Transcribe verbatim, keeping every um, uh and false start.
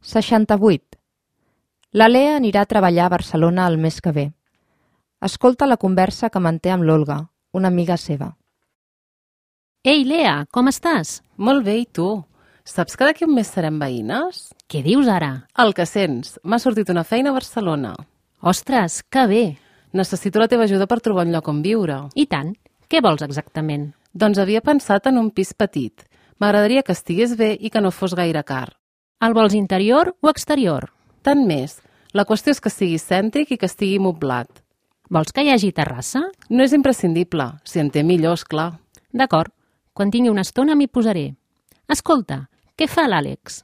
seixanta-vuit. La Lea anirà a treballar a Barcelona el mes que ve. Escolta la conversa que manté amb l'Olga, una amiga seva. Ei, Lea, com estàs? Molt bé, i tu? Saps que d'aquí un mes serem veïnes? Què dius ara? El que sents. M'ha sortit una feina a Barcelona. Ostres, que bé! Necessito la teva ajuda per trobar un lloc on viure. I tant. Què vols exactament? Doncs havia pensat en un pis petit. M'agradaria que estigués bé i que no fos gaire car. El vols interior o exterior? Tant més. La qüestió és que sigui cèntric i que estigui moblat. Vols que hi hagi terrassa? No és imprescindible. Si en té millor, esclar. D'acord. Quan tingui una estona m'hi posaré. Escolta, què fa l'Àlex?